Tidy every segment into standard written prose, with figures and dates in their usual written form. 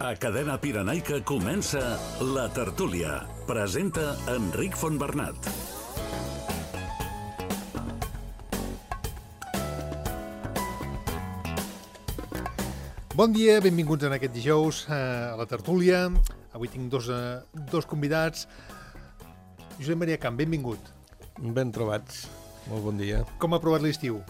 A Cadena Pirenaica comença La Tertúlia. Presenta Enric Fontbernat. Bon dia, benvinguts en aquest dijous a La Tertúlia. Avui tinc dos convidats. Josep Maria Camp, benvingut. Ben trobats. Molt bon dia. Com ha provat l'estiu?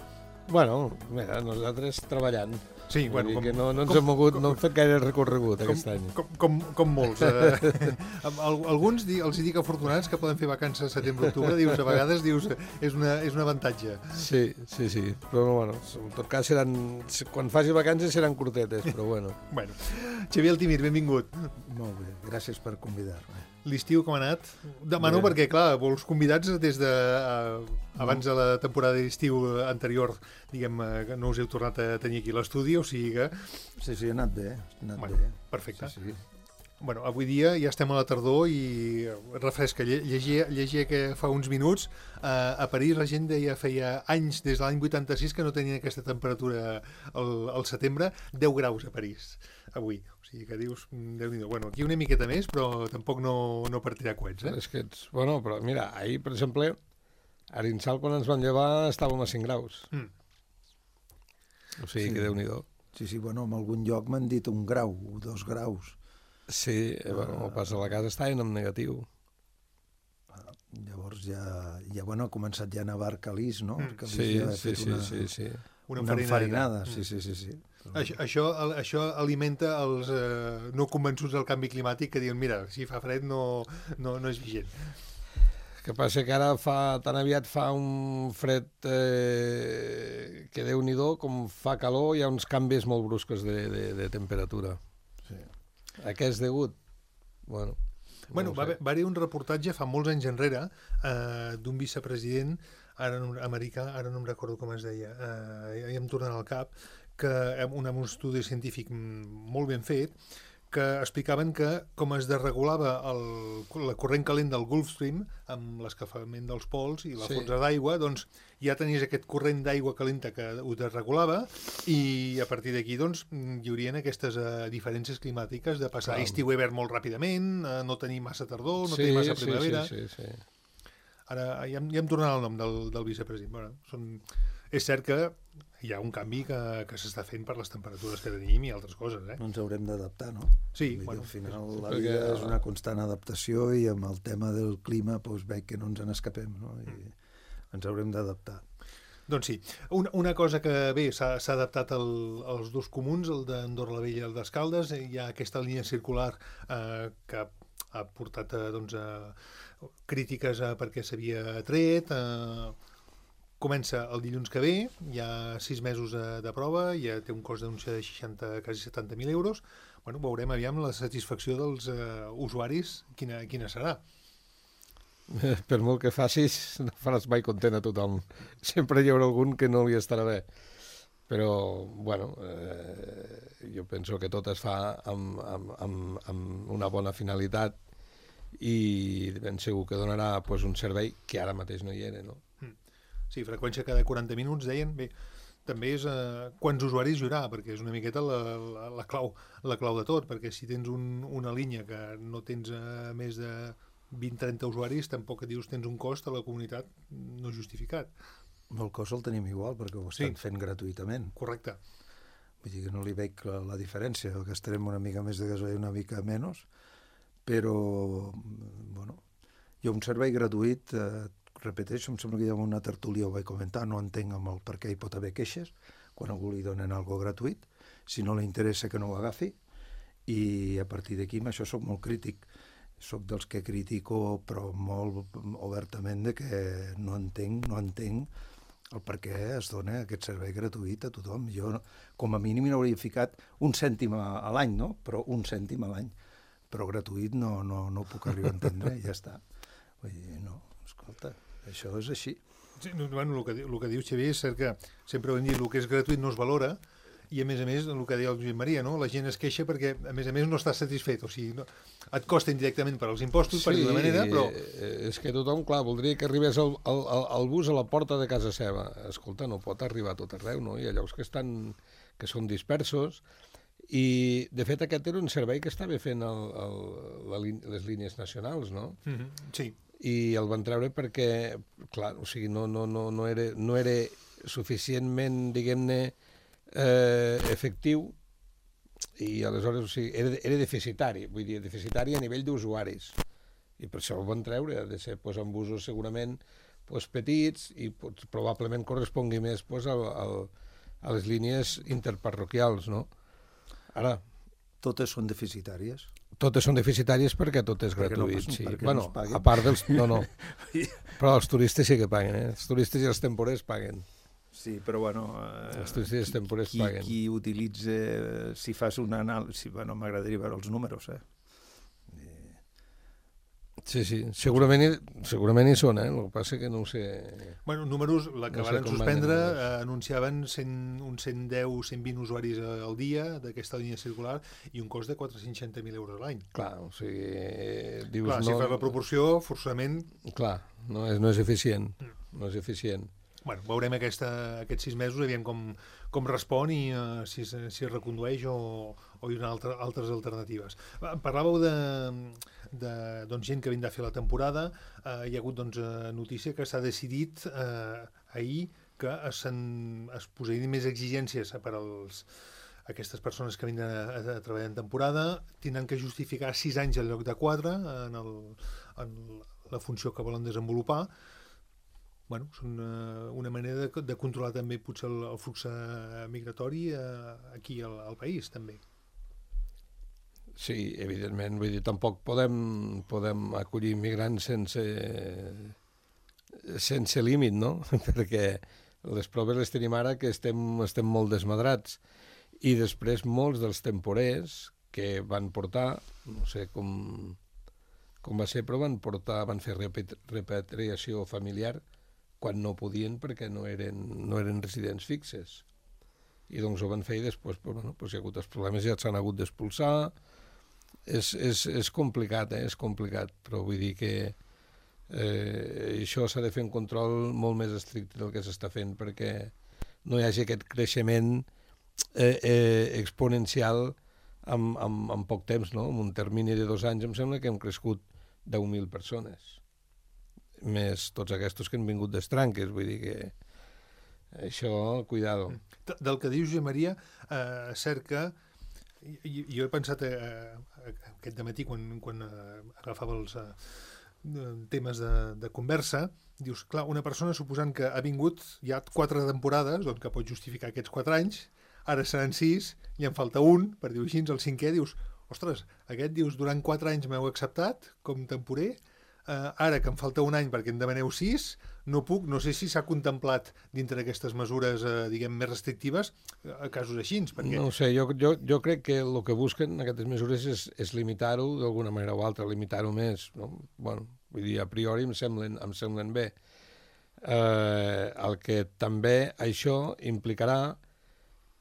Bueno, mira, nosaltres treballant. Sí, bueno, que no ens hem mogut, no hem fet gaire recorregut aquest any. Com molts. Alguns els dic afortunats que poden fer vacances a setembre-octubre, dius, a vegades dius, és un avantatge. Sí. Però bueno, en tot cas quan faci vacances seran curtetes, però bueno. Bueno, Xavier Altimir, benvingut. Molt bé, gràcies per convidar-me. L'estiu com ha anat? Demano perquè, clar, vols convidats des de abans de la temporada d'estiu anterior, diguem, que no us heu tornat a tenir aquí a l'estudi, o sigui que... Sí, ha anat bé, bé. Perfecte. Sí. Bueno, avui dia ja estem a la tardor i refresca. Llegia que fa uns minuts a París la gent deia feia anys, des de l'any 86, que no tenien aquesta temperatura al setembre, 10 graus a París avui. O sigui que dius, Déu-n'hi-do. Bueno, aquí una miqueta més, però tampoc no per tirar coets, És que bueno, però mira, ahir, per exemple, a Arinsal, quan ens van llevar, estàvem a 5 graus. O sigui que Déu-n'hi-do. Sí, bueno, en algun lloc m'han dit 1 grau, 2 graus. Sí, bueno, pas a la casa estaven en negatiu. Llavors ja bueno, ha començat ja a nevar Calís, no? Sí. Una enfarinada. Sí. Això alimenta els no convençuts del canvi climàtic que diuen, mira, si fa fred no és vigent. El que passa que ara tan aviat fa un fred que Déu-n'hi-do, com fa calor, hi ha uns canvis molt bruscos de temperatura. Sí. A què és degut? Bueno, va haver un reportatge fa molts anys enrere d'un vicepresident americà, ara no em recordo com es deia, ja em torna al cap, que un estudi científic molt ben fet, que explicaven que com es desregulava la corrent calent del Gulf Stream amb l'escalfament dels pols i la fonsa d'aigua, doncs ja tenies aquest corrent d'aigua calenta que ho desregulava i a partir d'aquí doncs hi haurien aquestes diferències climàtiques de passar estiu-hivern molt ràpidament, no tenir massa tardor, no tenir massa primavera. Sí. Ara ja em tornarà el nom del vicepresident. Bueno, és cert que hi ha un canvi que s'està fent per les temperatures que tenim i altres coses. No ens haurem d'adaptar, no? Sí. Al final la vida és una constant adaptació i amb el tema del clima veig que no ens n'escapem, no? I ens haurem d'adaptar. Doncs sí. Una cosa que bé s'ha adaptat als dos comuns, el d'Andorra la Vella i el d'Escaldes. Hi ha aquesta línia circular que ha portat crítiques perquè s'havia tret. Comença el dilluns que ve, hi ha 6 mesos de prova, ja té un cost d'anunci de quasi 70.000 euros. Bueno, veurem aviam la satisfacció dels usuaris, quina serà. Per molt que facis, no faràs mai content a tothom. Sempre hi haurà algun que no li estarà bé. Però, bueno, jo penso que tot es fa amb una bona finalitat i ben segur que donarà un servei que ara mateix no hi era, no? Sí, freqüència cada 40 minuts, deien. Bé, també és quants usuaris hi haurà, perquè és una miqueta la clau de tot, perquè si tens una línia que no tens més de 20-30 usuaris, tampoc et dius tens un cost a la comunitat no justificat. El cost el tenim igual, perquè ho estan fent gratuïtament. Correcte. Vull dir que no li veig la diferència, gastarem una mica més de gasoil, una mica menys, però, bueno, hi ha un servei gratuït, repeteixo, em sembla que hi ha una tertúlia, ho vaig comentar, no entenc amb el per què hi pot haver queixes, quan algú li donen algo gratuït, si no li interessa que no ho agafi, i a partir d'aquí amb això soc molt crític. Soc dels que critico, però molt obertament, de que no entenc el per què es dona aquest servei gratuït a tothom. Jo, com a mínim, n'hauria ficat 1 cèntim a l'any, no? Però 1 cèntim a l'any. Però gratuït no ho puc arribar a entendre, i ja està. Vull dir, no, escolta, això és així. Sí, bueno, el que dius, Xavier, és cert que sempre ho hem dit, el que és gratuït no es valora, i a més, el que deia el Josep Maria, no? La gent es queixa perquè, a més, no està satisfet. O sigui, et costa indirectament per als impostos, per d'una manera, però... És que tothom, clar, voldria que arribés el bus a la porta de casa seva. Escolta, no pot arribar a tot arreu, no? Hi ha llocs que són dispersos I, de fet, aquest era un servei que estava fent les línies nacionals, no? Sí. I el van treure perquè, clar, o sigui, no era suficientment, diguem-ne, efectiu, i aleshores, o sigui, era deficitari, vull dir, deficitari a nivell d'usuaris. I per això el van treure, ha de ser amb usos segurament petits i probablement correspongui més a les línies interparroquials, no? Ara... Totes són deficitàries? Totes són deficitàries perquè tot és gratuït, sí. Bueno, a part dels... No. Però els turistes sí que paguen, eh? Els turistes i els temporers paguen. Sí, però bueno... Els turistes i els temporers paguen. Qui utilitza... Si fas una anàlisi... Bueno, m'agradaria veure els números, eh? Sí, segurament hi són, el que passa que no ho sé... Bueno, números, la que van suspendre, anunciaven uns 110-120 usuaris al dia d'aquesta línia circular i un cost de 460.000 euros a l'any. Clar, o sigui... Dius, clar, si fas la proporció, forçament... Clar, no és eficient, no és eficient. Bueno, veurem aquests 6 mesos, aviam com respon i si es recondueix o hi ha altres alternatives. Parlàveu de gent que vindrà a fer la temporada. Hi ha hagut notícia que s'ha decidit ahir que es posarien més exigències per aquestes persones que vindran a treballar en temporada. Tindran que justificar 6 anys en lloc de 4 en la funció que volen desenvolupar. Bueno, són una manera de controlar també potser el flux migratori aquí al país, també. Sí, evidentment, vull dir, tampoc podem acollir immigrants sense límit, no? Perquè les proves les tenim ara que estem molt desmadrats. I després molts dels temporers que van portar, no sé com va ser, però van fer repatriació familiar quan no podien perquè no eren residents fixes. I doncs ho van fer i després hi ha hagut els problemes, ja s'han hagut d'expulsar. És complicat, és complicat, però vull dir que això s'ha de fer un control molt més estricte del que s'està fent perquè no hi hagi aquest creixement exponencial en poc temps, no? En un termini de 2 anys em sembla que hem crescut 10.000 persones. Més tots aquests que han vingut d'estranques, vull dir que això, cuidado. Del que dius, Josep Maria, cert que jo he pensat aquest dematí quan agafava els temes de conversa, dius, clar, una persona suposant que ha vingut ja 4 temporades, doncs que pot justificar aquests 4 anys, ara seran 6 i en falta un, per dir-ho així, el 5è, dius, ostres, aquest dius, durant 4 anys m'heu acceptat com temporer, ara que em falta un any perquè em demaneu 6, no puc, no sé si s'ha contemplat dintre d'aquestes mesures, diguem, més restrictives, a casos així, perquè... No ho sé, jo crec que el que busquen aquestes mesures és limitar-ho d'alguna manera o altra, limitar-ho més, no? Bueno, vull dir, a priori em semblen bé. El que també això implicarà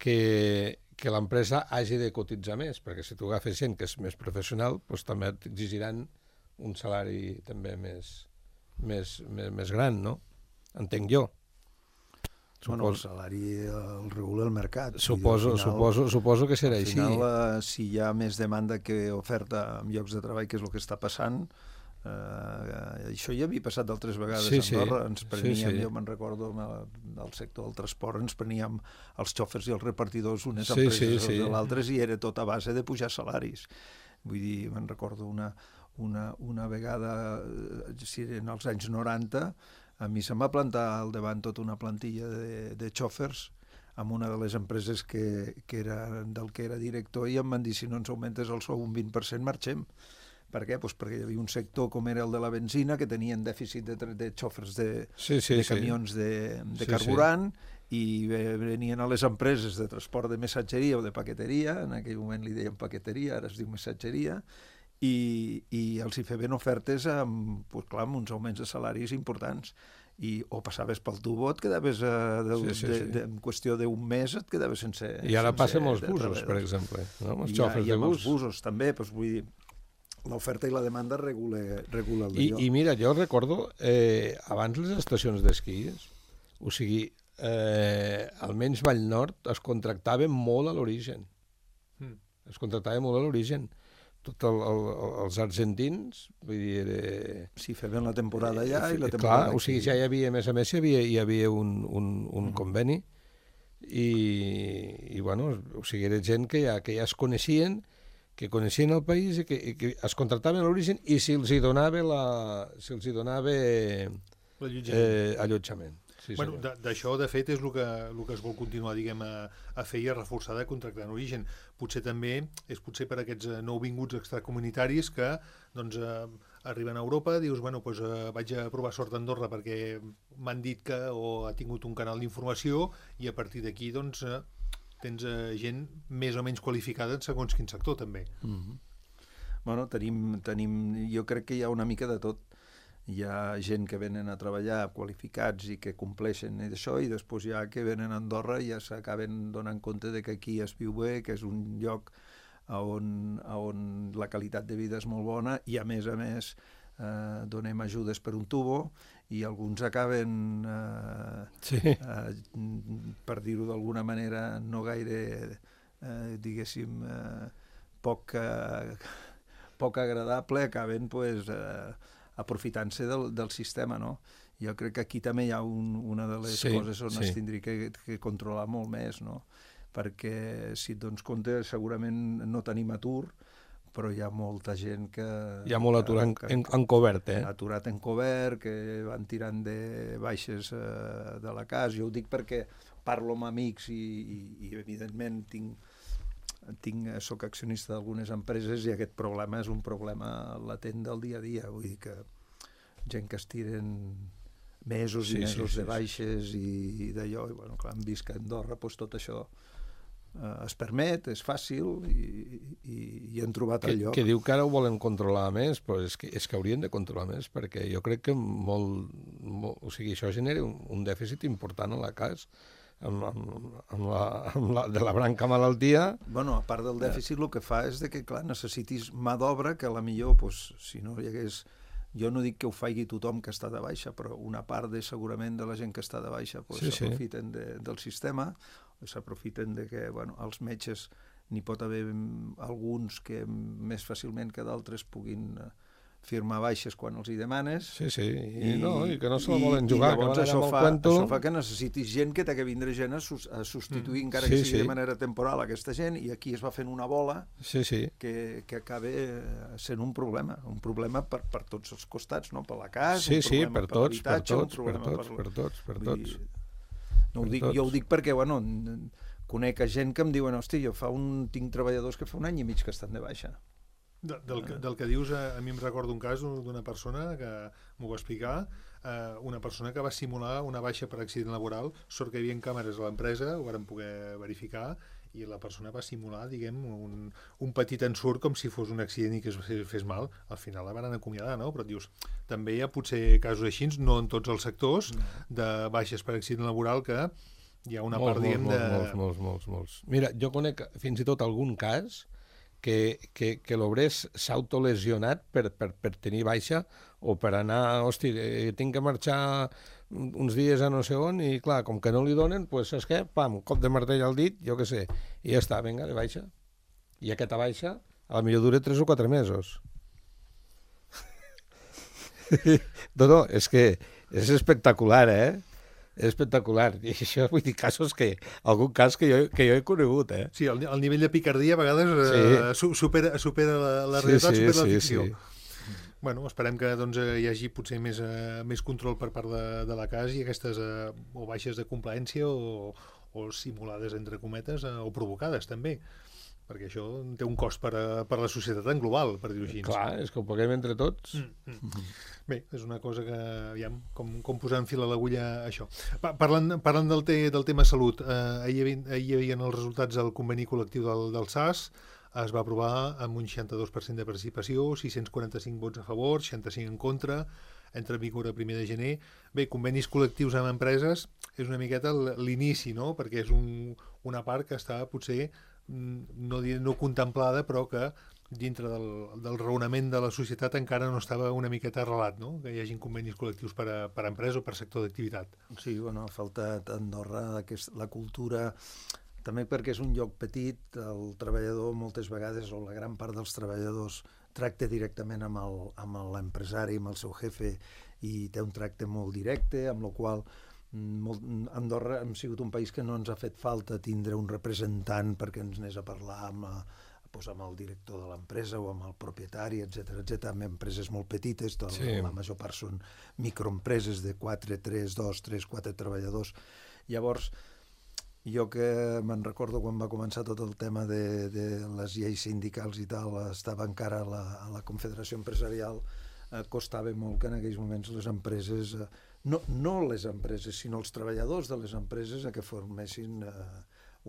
que l'empresa hagi de cotitzar més, perquè si tu agafes gent que és més professional, doncs també t'exigiran un salari també més gran, no? Entenc jo. Bueno, el salari el regula el mercat. Suposo que serà així. Al final, si hi ha més demanda que oferta en llocs de treball, que és el que està passant, això ja havia passat d'altres vegades a Andorra. Ens preníem, jo me'n recordo, del sector del transport, ens preníem els xòfers i els repartidors unes empreses de l'altres i era tot a base de pujar salaris. Vull dir, me'n recordo una vegada, si eren als anys 90, a mi se'm va plantar al davant tota una plantilla de xòfers amb una de les empreses del que era director i em van dir, si no ens augmentes el sou un 20% marxem. Per què? Pues perquè hi havia un sector com era el de la benzina que tenien dèficit de xòfers de camions de carburant i venien a les empreses de transport de missatgeria o de paqueteria, en aquell moment li deien paqueteria, ara es diu missatgeria, i els hi feien ofertes amb uns augments de salaris importants. O passaves pel tubo, et quedaves en qüestió d'un mes et quedaves sense... I ara passa amb els busos, per exemple, no? Els xòfers de bus. I amb els busos també, doncs vull dir, l'oferta i la demanda regula el d'allò. I mira, jo recordo, abans les estacions d'esquí, o sigui, almenys Vallnord es contractaven molt a l'origen. es contractava molt a l'origen. Tots els argentins, vull dir... Sí, feien la temporada allà i la temporada aquí. O sigui, ja hi havia, a més, hi havia un conveni i bueno, o sigui, era gent que ja es coneixien, que coneixien el país i que es contractaven a l'origen i si els hi donava allotjament. Sí, bueno, d'això, de fet, és el que es vol continuar, diguem, a fer i a reforçar de contractar en origen. Potser també és per aquests nouvinguts extracomunitaris que doncs, arriben a Europa, dius, bueno, doncs, vaig a provar sort a Andorra perquè m'han dit que o ha tingut un canal d'informació i a partir d'aquí doncs, tens gent més o menys qualificada en segons quin sector, també. Bueno, jo crec que hi ha una mica de tot. Hi ha gent que venen a treballar qualificats i que compleixen això i després hi ha que venen a Andorra i ja s'acaben donant compte de que aquí es viu bé, que és un lloc on la qualitat de vida és molt bona i a més donem ajudes per un tubo i alguns acaben per dir-ho d'alguna manera no gaire diguéssim poc agradable, acaben aprofitant-se del sistema, no? Jo crec que aquí també hi ha una de les coses on es tindria que controlar molt més, no? Perquè si et dones compte segurament no tenim atur, però hi ha molta gent que... Hi ha molt atur encobert, Aturat encobert, que van tirant de baixes de la casa. Jo ho dic perquè parlo amb amics i evidentment soc accionista d'algunes empreses i aquest problema és un problema latent del dia a dia, vull dir que gent que es tiren mesos i mesos de baixes i d'allò, i bueno, clar, hem vist que a Andorra tot això es permet, és fàcil i han trobat el lloc. Que diu que ara ho volen controlar més, però és que haurien de controlar més, perquè jo crec que o sigui, això genera un dèficit important a la casa, de la branca malaltia. Bueno, a part del dèficit el que fa és que, clar, necessitis mà d'obra que a la millor, si no hi hagués... Jo no dic que ho faci tothom que està de baixa, però una part segurament de la gent que està de baixa s'aprofiten del sistema, s'aprofiten de que els metges n'hi pot haver alguns que més fàcilment que d'altres puguin firmar baixes quan els hi demanes. I que no se la volen jugar. I llavors això fa que necessitis gent que t'ha de vindre gent a substituir, encara que sigui de manera temporal, aquesta gent, i aquí es va fent una bola que acaba sent un problema per tots els costats, no? Per la casa, un problema per l'habitatge, un problema per tots. Jo ho dic perquè, conec gent que em diuen, hosti, tinc treballadors que fa un any i mig que estan de baixa. Del que dius, a mi em recordo un cas d'una persona que m'ho va explicar, una persona que va simular una baixa per accident laboral, sort que hi havia càmeres a l'empresa, ho vàrem poder verificar, i la persona va simular, diguem, un petit ensurt com si fos un accident i que es fes mal. Al final la van acomiadar, no? Però dius, també hi ha potser casos així, no en tots els sectors, de baixes per accident laboral que hi ha una part, diguem, de... Molts. Mira, jo conec fins i tot algun cas que l'obrer s'ha autolesionat per tenir baixa o per anar, hosti, tinc que marxar uns dies a no sé on i clar, com que no li donen, doncs saps què? Pam, cop de martell al dit, jo què sé, i ja està, vinga, de baixa. I aquesta baixa a la millor dura 3 o 4 mesos. No, és que és espectacular, És espectacular. I això, vull dir, algun cas que jo he conegut, Sí, el nivell de picardia a vegades supera la realitat, supera la ficció. Bueno, esperem que hi hagi potser més control per part de la casa i aquestes o baixes de complaença o simulades, entre cometes, o provocades, també. Perquè això té un cost per a la societat en global, per dir-ho així. Clar, és que ho paguem entre tots. Bé, és una cosa que, aviam, com posar en fil a l'agulla això. Parlant del tema salut, ahir hi havia els resultats del conveni col·lectiu del SAS, es va aprovar amb un 62% de participació, 645 vots a favor, 65 en contra, entra en vigor a 1 de gener. Bé, convenis col·lectius amb empreses és una miqueta l'inici, no? Perquè és una part que està potser no contemplada, però que dintre del raonament de la societat encara no estava una miqueta arrelat, no? Que hi hagi convenis col·lectius per a empresa o per sector d'activitat. Sí, ha faltat a Andorra la cultura També perquè és un lloc petit, el treballador moltes vegades, o la gran part dels treballadors, tracta directament amb l'empresari, amb el seu jefe, i té un tracte molt directe, amb la qual Andorra hem sigut un país que no ens ha fet falta tindre un representant perquè ens anés a parlar amb el director de l'empresa o amb el propietari, etc. Amb empreses molt petites, la major part són microempreses de 4, 3, 2, 3, 4 treballadors. Llavors, jo que me'n recordo quan va començar tot el tema de les lleis sindicals i tal, estava encara a la Confederació Empresarial, costava molt que en aquells moments les empreses, no les empreses, sinó els treballadors de les empreses a que formessin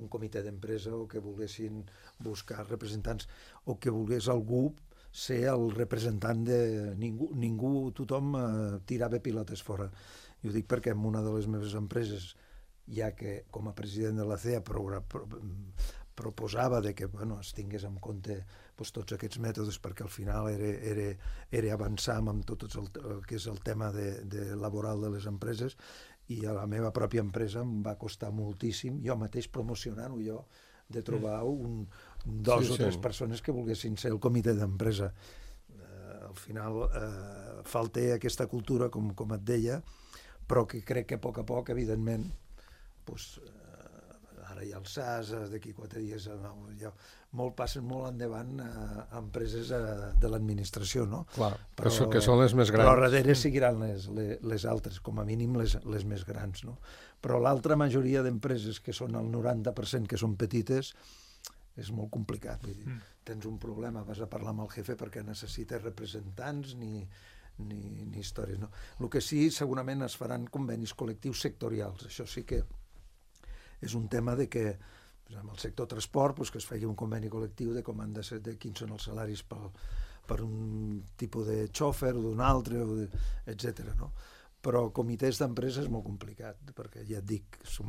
un comitè d'empresa o que volguessin buscar representants o que volgués algú ser el representant de ningú, tothom tirava pilotes fora. I ho dic perquè en una de les meves empreses, ja que com a president de la CEA proposava que es tingués en compte tots aquests mètodes, perquè al final era avançar amb tot el que és el tema laboral de les empreses, i a la meva pròpia empresa em va costar moltíssim, jo mateix promocionant-ho jo, de trobar dos o tres persones que volguessin ser el comitè d'empresa. Al final falta aquesta cultura, com et deia, però que crec que a poc, evidentment, ara hi ha el SAS, d'aquí 4 dies passen molt endavant a empreses de l'administració, no? Clar, que són les més grans. Però darrere seguiran les altres, com a mínim les més grans, no? Però l'altra majoria d'empreses, que són el 90% que són petites, és molt complicat. Vull dir, tens un problema, vas a parlar amb el jefe perquè necessites representants ni històries, no? El que sí, segurament es faran convenis col·lectius sectorials. Això sí que és un tema de que en el sector transport que es faci un conveni col·lectiu de com han de ser, de quins són els salaris per un tipus de xòfer o d'un altre, etc. No? Però comitès d'empresa és molt complicat, perquè ja et dic, som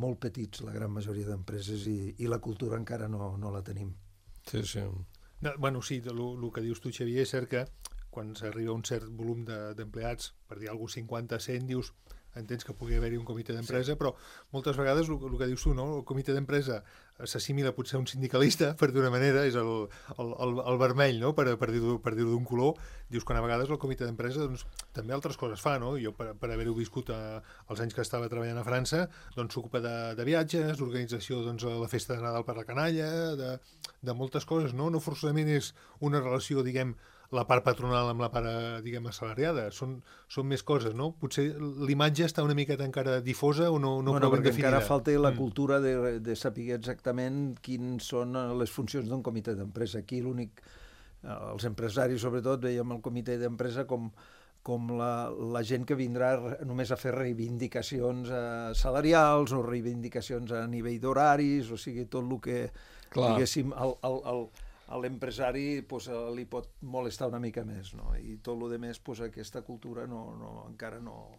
molt petits la gran majoria d'empreses i la cultura encara no la tenim. Sí. Bueno, sí, el que dius tu, Xavier, és cert que quan s'arriba a un cert volum d'empleats, per dir alguna cosa, 50, 100, dius, entens que pugui haver-hi un comitè d'empresa, però moltes vegades el que dius tu, no? El comitè d'empresa s'assimila potser a un sindicalista, per d'una manera, és el vermell, no? Per dir-ho d'un color. Dius que a vegades el comitè d'empresa també altres coses fa, no? Jo, per haver-ho viscut els anys que estava treballant a França, s'ocupa de viatges, d'organització de la festa de Nadal per la canalla, de moltes coses, no? No forçosament és una relació, diguem, la part patronal amb la part, diguem, assalariada. Són més coses, no? Potser l'imatge està una miqueta encara difosa o no prou ben definida. Encara falta la cultura de saber exactament quines són les funcions d'un comitè d'empresa. Aquí els empresaris, sobretot, veiem el comitè d'empresa com la gent que vindrà només a fer reivindicacions salarials o reivindicacions a nivell d'horaris, o sigui, tot el que, diguéssim, a l'empresari li pot molestar una mica més, no? I tot el més, aquesta cultura encara no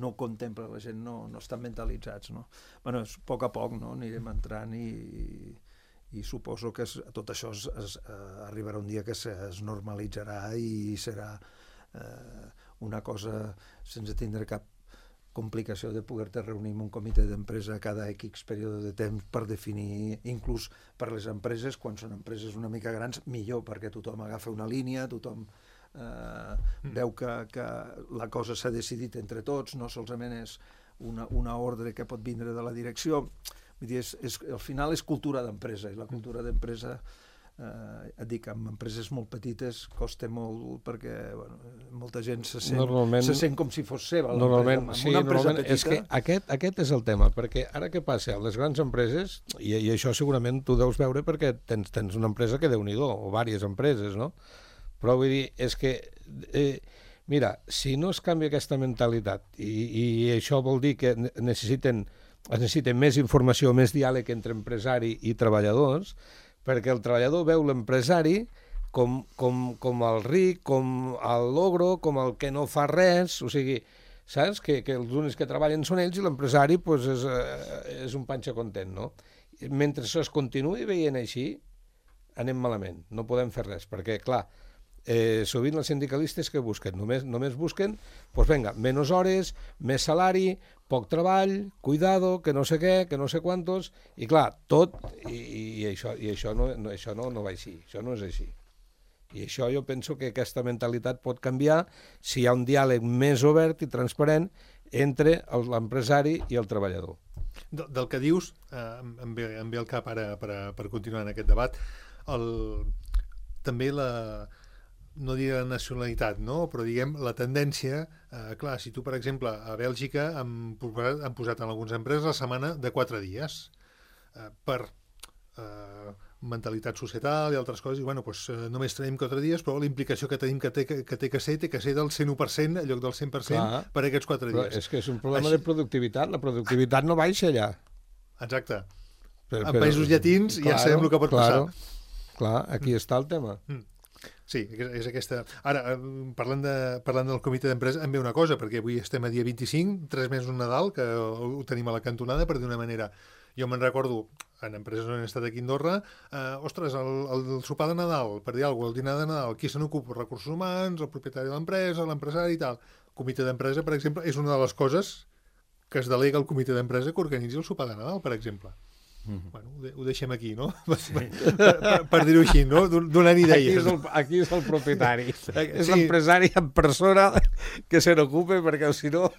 ho contempla, la gent no estan mentalitzats, no? Bueno, a poc, no? Anirem entrant i suposo que tot això arribarà un dia que es normalitzarà i serà una cosa sense tindre cap complicació de poder-te reunir en un comitè d'empresa cada X període de temps per definir, inclús per les empreses, quan són empreses una mica grans, millor, perquè tothom agafa una línia, tothom veu que la cosa s'ha decidit entre tots, no solament és una ordre que pot vindre de la direcció. Vull dir, al final és cultura d'empresa, i la cultura d'empresa, et dic, amb empreses molt petites costa molt, perquè molta gent se sent com si fos seva. Normalment, és que aquest és el tema, perquè ara què passa? A les grans empreses, i això segurament tu deus veure perquè tens una empresa que Déu-n'hi-do, o diverses empreses, no? Però vull dir, és que, mira, si no es canvia aquesta mentalitat, i això vol dir que necessiten més informació, més diàleg entre empresari i treballadors, perquè el treballador veu l'empresari com el ric, com el logro, com el que no fa res, o sigui, saps? Que els únics que treballen són ells i l'empresari és un panxa content, no? Mentre això es continuï veient així, anem malament, no podem fer res, perquè, clar, sovint els sindicalistes que busquen? Només busquen, doncs vinga, menys hores, més salari, poc treball, cuidado, que no sé què, que no sé quantos, i clar, tot, i això no va així, això no és així. I això jo penso que aquesta mentalitat pot canviar si hi ha un diàleg més obert i transparent entre l'empresari i el treballador. Del que dius, em ve al cap ara per continuar en aquest debat, també no diré la nacionalitat, no? Però diguem la tendència, clar, si tu, per exemple, a Bèlgica han posat en algunes empreses la setmana de 4 dies per mentalitat societal i altres coses, i bueno, doncs, només tenim 4 dies, però la implicació que tenim que té que ser del 101% en lloc del 100% clar, per aquests 4 dies. Però és que és un problema de productivitat, la productivitat no baixa allà. Exacte. En països llatins ja sabem el que pot passar. Clar, aquí està el tema. Sí, és aquesta... Ara, parlant del comitè d'empresa, em ve una cosa, perquè avui estem a dia 25, 3 mesos Nadal, que ho tenim a la cantonada, per dir una manera... Jo me'n recordo, en empreses on he estat aquí a Andorra, ostres, el sopar de Nadal, per dir alguna cosa, el dinar de Nadal, qui se n'ocupa? Recursos humans, el propietari de l'empresa, l'empresari i tal. El comitè d'empresa, per exemple, és una de les coses que es delega al comitè d'empresa que organitzi el sopar de Nadal, per exemple. Bueno, ho deixem aquí, no? Sí. Per dir-ho així, no? Donant idees. Aquí és el propietari. És l'empresari en persona que se n'ocupa, perquè si no...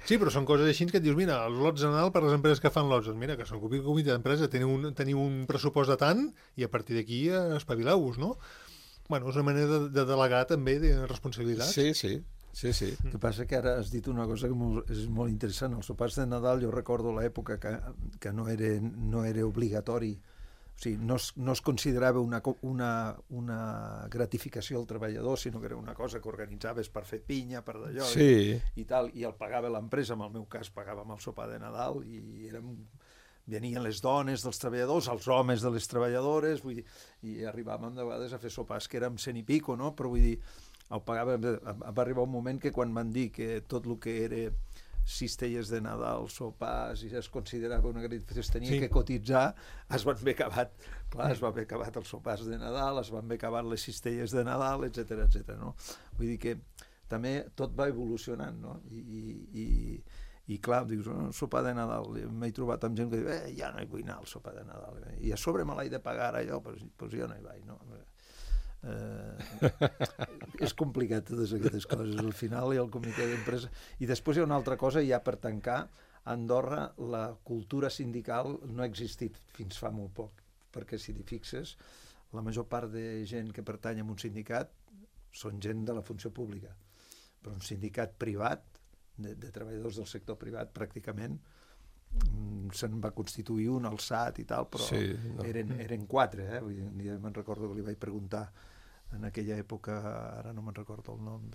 Sí, però són coses així que et dius, mira, els lots de Nadal per les empreses que fan lots, mira, que s'ocupi el comitè d'empresa, teniu un pressupost de tant i a partir d'aquí espavileu-vos, no? Bueno, és una manera de delegar també de responsabilitats. Sí. El que passa que ara has dit una cosa que és molt interessant. Els sopars de Nadal, jo recordo l'època que no era obligatori, o sigui, no es considerava una gratificació al treballador, sinó que era una cosa que organitzaves per fer pinya, per d'allò, i tal, i el pagava l'empresa, en el meu cas pagàvem el sopar de Nadal, i venien les dones dels treballadors, els homes de les treballadores, vull dir, i arribàvem de vegades a fer sopars que érem 100 i pico, no? Però vull dir, el pagàvem, va arribar un moment que quan van dir que tot el que era cistelles de Nadal, sopars, i es considerava una gratificació, es tenia que cotitzar, es van haver acabat, clar, es va haver acabat els sopars de Nadal, es van haver acabat les cistelles de Nadal, etc. No? Vull dir que també tot va evolucionant, no? I clar, dius, sopar de Nadal, m'he trobat amb gent que diu, ja no hi vull anar al sopar de Nadal, i a sobre me l'he de pagar allò, doncs jo no hi vaig, no? És complicat totes aquestes coses al final, i el comitè d'empresa, i després hi ha una altra cosa ja per tancar. A Andorra la cultura sindical no ha existit fins fa molt poc, perquè si t'hi fixes la major part de gent que pertany a un sindicat són gent de la funció pública, però un sindicat privat de treballadors del sector privat pràcticament se'n va constituir un al SAT i tal, però eren 4, vull dir, ja me'n recordo que li vaig preguntar en aquella època, ara no me'n recordo el nom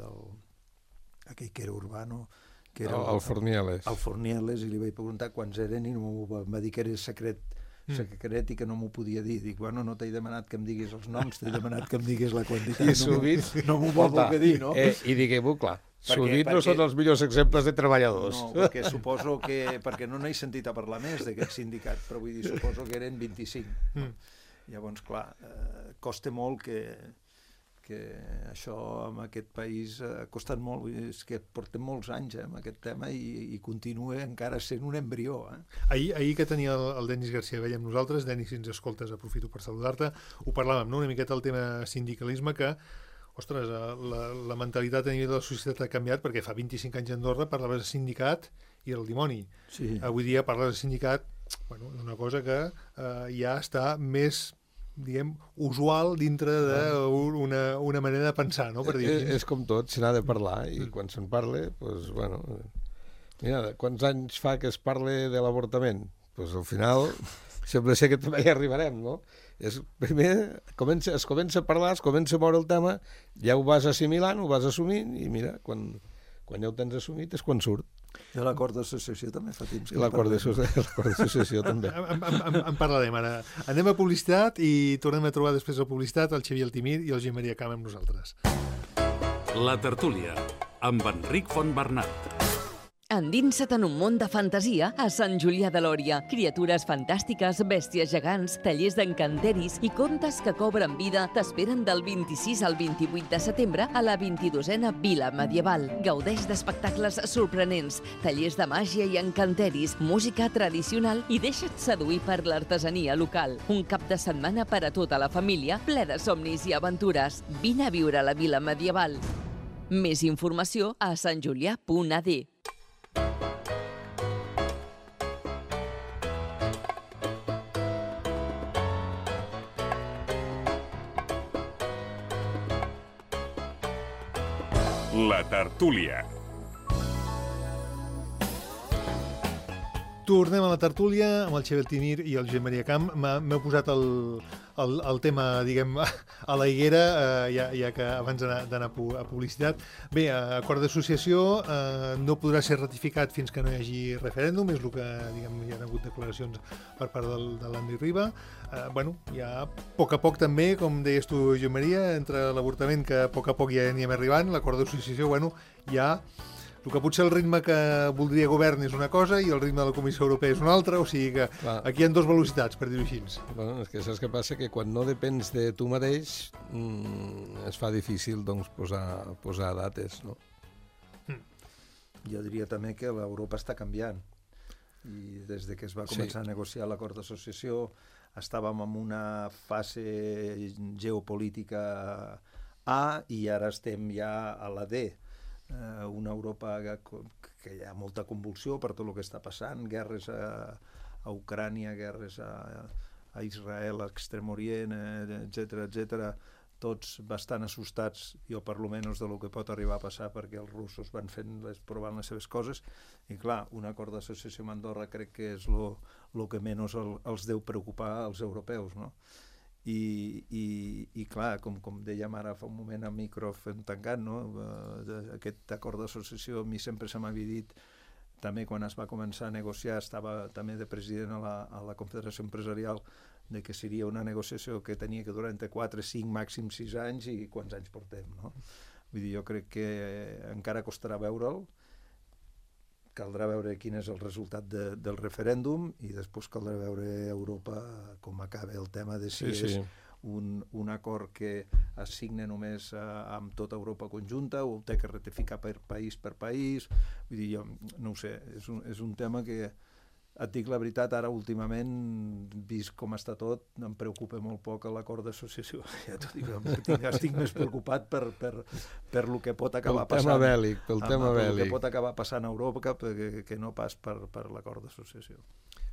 aquell que era Urbano, que era el Fornieles. El Fornieles, i li vaig preguntar quants eren i em va dir que era secret i que no m'ho podia dir. Dic, bueno, no t'he demanat que em diguis els noms, t'he demanat que em diguis la quantitat. I sovint no m'ho vol voler dir, no? I diguem-ho clar, sovint no són els millors exemples de treballadors. No, perquè suposo que... Perquè no n'he sentit a parlar més d'aquest sindicat, però vull dir, suposo que eren 25. Llavors, clar, costa molt que això en aquest país ha costat molt, és que portem molts anys amb aquest tema i continua encara sent un embrió. Ahir que tenia el Denis Garcia Vella amb nosaltres, Denis, si ens escoltes, aprofito per saludar-te, ho parlàvem, no? Una miqueta el tema sindicalisme, que ostres, la mentalitat a nivell de la societat ha canviat, perquè fa 25 anys a Andorra parlaves de sindicat i era el dimoni. Sí. Avui dia parles de sindicat, bueno, és una cosa que ja està més, diguem, usual dintre d'una manera de pensar, no? Per dir és com tot, se n'ha de parlar, i quan se'n parla, doncs, bueno... Mira, quants anys fa que es parla de l'avortament? Doncs al final sembla ser que també hi arribarem, no? Primer es comença a parlar, es comença a moure el tema, ja ho vas assimilant, ho vas assumint, i mira, quan ja ho tens assumit és quan surt. I l'acord d'associació també fa temps. L'acord d'associació també. En parlarem ara. Anem a publicitat i tornem a trobar després de publicitat el Xavier Altimir i el Josep Maria Cama amb nosaltres. La tertúlia, amb Enric Fontbernat. Endinsa't en un món de fantasia a Sant Julià de Lòria. Criatures fantàstiques, bèsties gegants, tallers d'encanteris i contes que cobren vida t'esperen del 26 al 28 de setembre a la 22a Vila Medieval. Gaudeix d'espectacles sorprenents, tallers de màgia i encanteris, música tradicional i deixa't seduir per l'artesania local. Un cap de setmana per a tota la família, ple de somnis i aventures. Vine a viure a la Vila Medieval. Més informació a santjulià.ad. La tertúlia. Tornem a la tertúlia amb el Xavier Altimir i el Josep Maria Camp. M'heu posat el tema, diguem, a la higuera, ja que abans d'anar a publicitat. Bé, acord d'associació no podrà ser ratificat fins que no hi hagi referèndum, és el que, diguem, hi ha hagut declaracions per part de l'Andy Riba. Bueno, ja a poc també, com deies tu, Josep Maria, entre l'avortament, que a poc ja anirem arribant, l'acord d'associació, bueno, ja... El que potser el ritme que voldria govern és una cosa i el ritme de la Comissió Europea és una altra, o sigui que aquí hi ha dues velocitats, per dir-ho així. Bueno, és que saps què passa? Que quan no depens de tu mateix es fa difícil doncs, posar dates, no? Jo diria també que l'Europa està canviant i des de que es va començar a negociar l'acord d'associació estàvem en una fase geopolítica A i ara estem ja a la D. Una Europa que hi ha molta convulsió per tot el que està passant, guerres a Ucrània, guerres a Israel, a Extrem Orient, etc., tots bastant assustats, jo per lo menys de lo que pot arribar a passar, perquè els russos van provant les seves coses, i clar, un acord d'associació amb Andorra crec que és el que menys els deu preocupar als europeus, no? I clar, com dèiem ara fa un moment a micro fent tancat, no? Aquest acord d'associació a mi sempre se m'havia dit, també quan es va començar a negociar, estava també de president a la Confederació Empresarial, de que seria una negociació que tenia que durar entre 4, 5, màxim 6 anys, i quants anys portem, no? Vull dir, jo crec que encara costarà veure'l, caldrà veure quin és el resultat del referèndum i després caldrà veure Europa com acaba el tema de si és un acord que es signa només amb tota Europa conjunta o té que ratificar per país. Vull dir, jo no ho sé, és un tema que et dic la veritat, ara últimament, vist com està tot, em preocupa molt poc l'acord d'associació. Ja t'ho dic, estic més preocupat per lo que pot acabar passant. Pel tema bèl·lic. Que pot acabar passant a Europa que no pas per l'acord d'associació.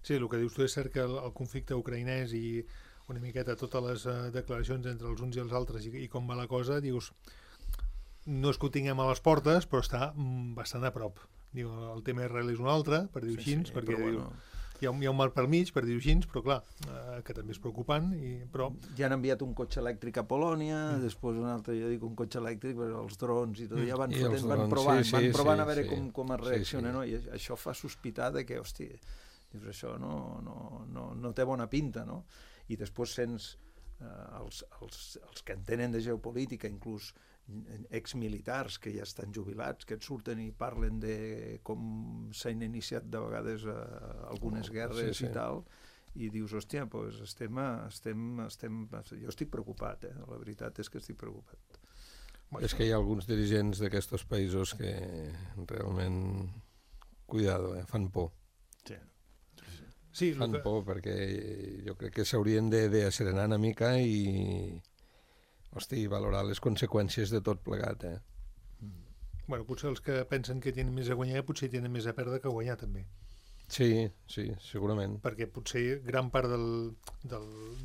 Sí, el que dius tu és cert que el conflicte ucraïnès i una miqueta totes les declaracions entre els uns i els altres i com va la cosa, dius, no és que ho tinguem a les portes, però està bastant a prop. Diu, el tema Israel és un altre, per dir-ho així, perquè diu, hi ha un mal per mig, per dir-ho així, però clar, que també és preocupant. Però... Ja han enviat un cotxe elèctric a Polònia, després un altre, jo dic, un cotxe elèctric, però els drons i tot, ja van provant a veure com es reacciona, no? I això fa sospitar de que, hòstia, dius, això no té bona pinta, no? I després sents els que entenen de geopolítica, inclús exmilitars que ja estan jubilats, que et surten i parlen de com s'han iniciat de vegades algunes guerres i tal, i dius, hòstia, doncs jo estic preocupat, la veritat és que estic preocupat. És que hi ha alguns dirigents d'aquests països que realment, cuidado, fan por. Sí, fan por perquè jo crec que s'haurien d'asserenar una mica i valorar les conseqüències de tot plegat. Bueno, potser els que pensen que tenen més a guanyar potser tenen més a perdre que a guanyar també. Sí, segurament. Perquè potser gran part de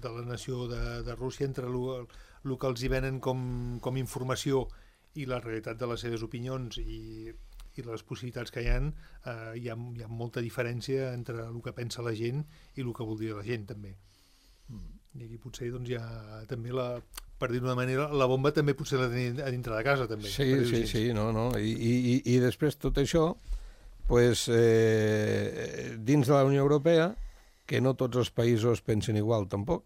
la nació de Rússia, entre el que els hi venen com informació i la realitat de les seves opinions i les possibilitats que hi ha molta diferència entre el que pensa la gent i el que voldria la gent també. I aquí potser doncs, hi ha també per dir d'una manera, la bomba també potser la tenim a dintre de casa també. Sí, no. I després tot això, pues, dins de la Unió Europea, que no tots els països pensen igual tampoc.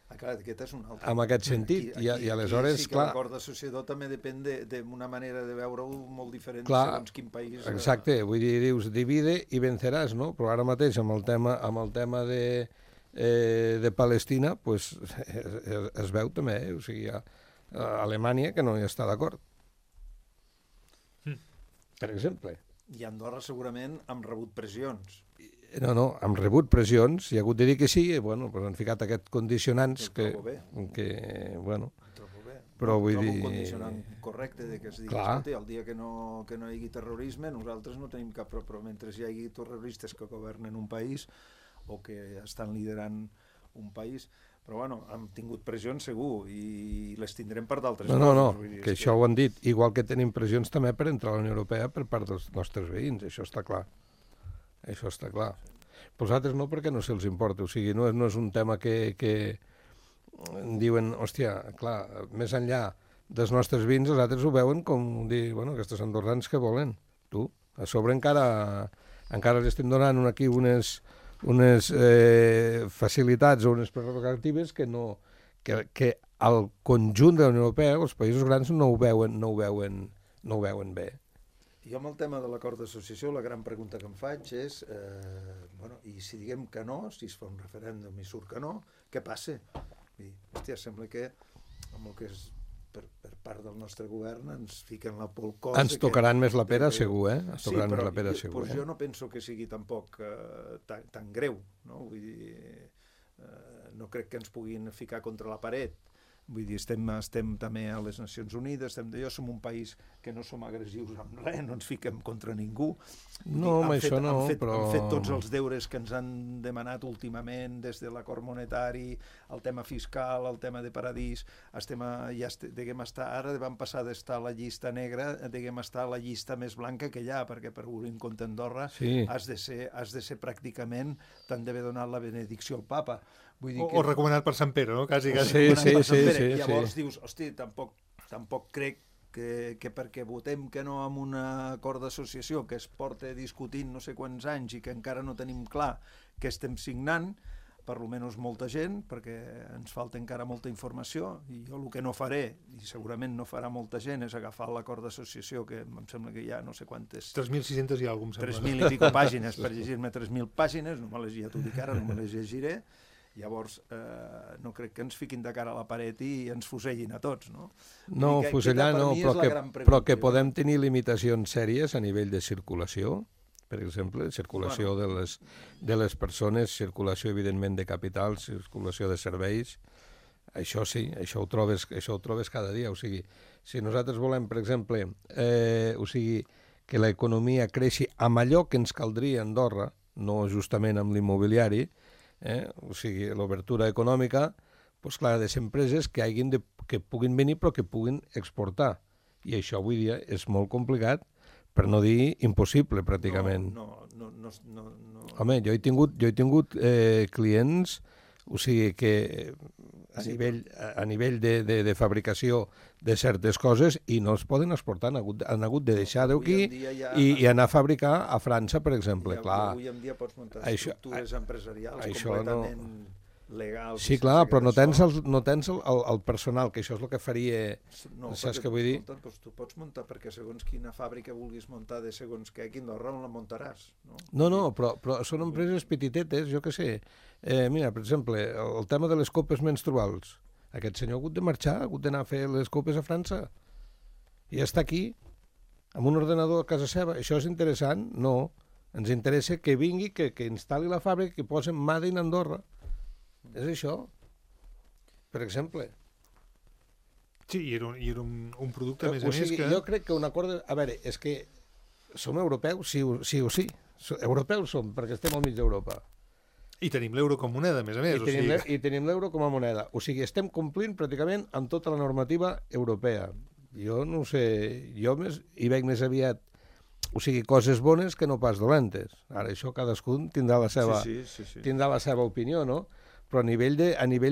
Clar, aquest és un altre. En aquest sentit, i aleshores, sí que clar... l'acord d'associació també depèn d'una manera de veure-ho molt diferent segons quin país... Exacte, vull dir, dius, divide i venceràs, no? Però ara mateix, amb el tema de Palestina, pues, es veu també, o sigui, hi ha Alemanya que no hi està d'acord. Per exemple. I Andorra segurament han rebut pressions. No, hem rebut pressions, hi ha hagut de dir que sí, i bueno, pues han ficat aquests condicionants que bueno, però vull dir... un condicionant correcte de que es digui, escolta, el dia que no hi hagi terrorisme, nosaltres no tenim cap problema, però mentre hi hagi terroristes que governen un país o que estan liderant un país, però bueno, hem tingut pressions segur i les tindrem per d'altres coses. No, que això ho han dit, igual que tenim pressions també per entrar a la Unió Europea per part dels nostres veïns, això està clar. Això està clar. Però els altres no, perquè no se'ls importa. O sigui, no és un tema que diuen, hòstia, clar, més enllà dels nostres vins, els altres ho veuen com dir, bueno, aquests andorrans que volen. Tu, a sobre encara els estem donant aquí unes facilitats o unes prerrogatives que al conjunt de la Unió Europea, els països grans no ho veuen bé. Jo amb el tema de l'acord d'associació, la gran pregunta que em faig és, i si diguem que no, si es fa un referèndum i surt que no, què passa? Hòstia, sembla que amb el que és per part del nostre govern ens fiquen la por al cos. Ens tocaran més la pera, segur, eh? Sí, però jo no penso que sigui tampoc tan greu, no? Vull dir, no crec que ens puguin ficar contra la paret. Vull dir, estem també a les Nacions Unides, som un país que no som agressius amb res, no ens fiquem contra ningú. No, amb això no, però... Han fet tots els deures que ens han demanat últimament, des de l'acord monetari, el tema fiscal, el tema de paradís, ara vam passar d'estar a la llista negra, estar a la llista més blanca que hi ha, perquè per obrir un compte a Andorra has de ser pràcticament, t'han d'haver donat la benedicció al papa. O recomanat per Sant Pere, no? Quasi. Sí. Llavors dius, hosti, tampoc crec que perquè votem que no amb un acord d'associació que es porta discutint no sé quants anys i que encara no tenim clar què estem signant, per almenys molta gent, perquè ens falta encara molta informació, i jo el que no faré, i segurament no farà molta gent, és agafar l'acord d'associació, que em sembla que hi ha no sé quantes... 3.600 i alguna cosa, em sembla. 3.000 i pico pàgines, per llegir-me 3.000 pàgines, no me les ja t'ho dic ara, no me les llegiré. Llavors, no crec que ens fiquin de cara a la paret i ens fusellin a tots, no? No, fusellar no, però que podem tenir limitacions sèries a nivell de circulació, per exemple, circulació de les persones, circulació, evidentment, de capital, circulació de serveis. Això sí, això ho trobes cada dia. O sigui, si nosaltres volem, per exemple, que l'economia creixi amb allò que ens caldria a Andorra, no justament amb l'immobiliari, o sigui, l'obertura econòmica, doncs clar, de ser empreses que puguin venir però que puguin exportar. I això avui dia és molt complicat, per no dir impossible, pràcticament. No. Home, jo he tingut clients, o sigui que a nivell de fabricació de certes coses i no es poden exportar, han hagut de deixar-ho aquí i anar a fabricar a França, per exemple. Avui en dia pots muntar estructures empresarials completament legals. Sí, clar, però no tens el personal, que això és el que faria... No, saps què vull dir? Tu pots muntar, perquè segons quina fàbrica vulguis muntar de segons què, aquí a Andorra on la muntaràs. No, però són empreses petitetes, jo què sé. Mira, per exemple, el tema de les copes menstruals. Aquest senyor ha hagut de marxar, ha hagut d'anar a fer les copes a França. I està aquí, amb un ordenador a casa seva. Això és interessant? No. Ens interessa que vingui, que instal·li la fàbrica, que posi Made in Andorra. És això, per exemple. Sí, i era un producte, a més que... Jo crec que un acord... A veure, és que som europeus, sí o sí. Europeus som, perquè estem al mig d'Europa. I tenim l'euro com moneda, a més. I tenim l'euro com a moneda. O sigui, estem complint pràcticament amb tota la normativa europea. Jo no sé, jo hi veig més aviat, o sigui, coses bones que no pas dolentes. Ara, això cadascun tindrà la seva opinió, no? Però a nivell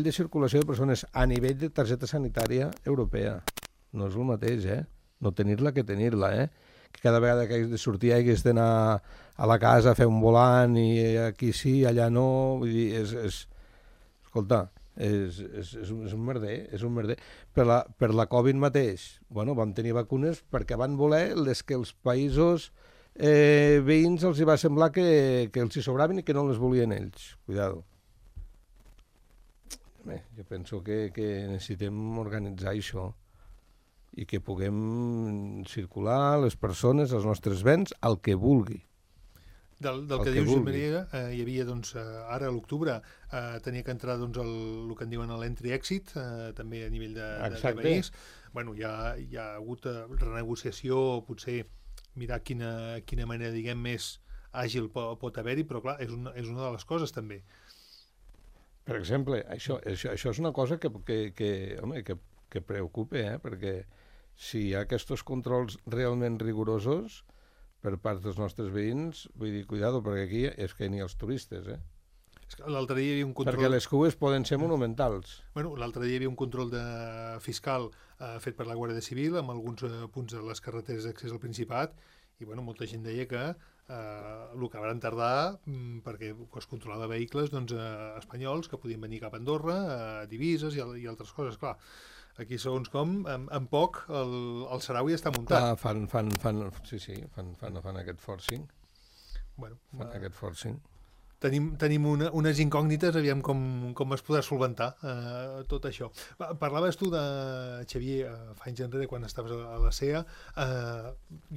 de circulació de persones, a nivell de targeta sanitària europea, no és el mateix, no tenir-la que tenir-la, que cada vegada que hagués de sortir hagués d'anar a la casa a fer un volant i aquí sí, allà no, vull dir, escolta, És un merder, és un merder. Per la Covid mateix, bueno, vam tenir vacunes perquè van voler les que els països veïns els hi va semblar que els hi sobraven i que no les volien ells. Cuidado. Bé, jo penso que necessitem organitzar això i que puguem circular les persones, els nostres béns, el que vulgui. Del que dius, Josep Maria, hi havia, doncs, ara a l'octubre, tenia que entrar doncs, el que en diuen l'entry-exit, també a nivell de país. Bueno, hi ha hagut renegociació, potser mirar quina manera, diguem, més àgil pot haver-hi, però clar, és una de les coses també. Per exemple, això és una cosa que preocupa, perquè si hi ha aquests controls realment rigorosos per part dels nostres veïns, vull dir, cuidado, perquè aquí és que ni els turistes, L'altre dia hi havia un control... Perquè les cues poden ser monumentals. Bueno, l'altre dia hi havia un control fiscal fet per la Guàrdia Civil amb alguns punts de les carreteres d'accés al Principat i bueno, molta gent deia que el que van tardar perquè es controlava vehicles espanyols que podien venir cap a Andorra, divises i altres coses, clar. Aquí, segons com, en poc el sarau ja està muntat. Clar, fan aquest forcing. Bueno, fan aquest forcing. Tenim unes incògnites, aviam com es podrà solventar tot això. Parlaves tu de, Xavier, fa anys enrere, quan estaves a la CEA,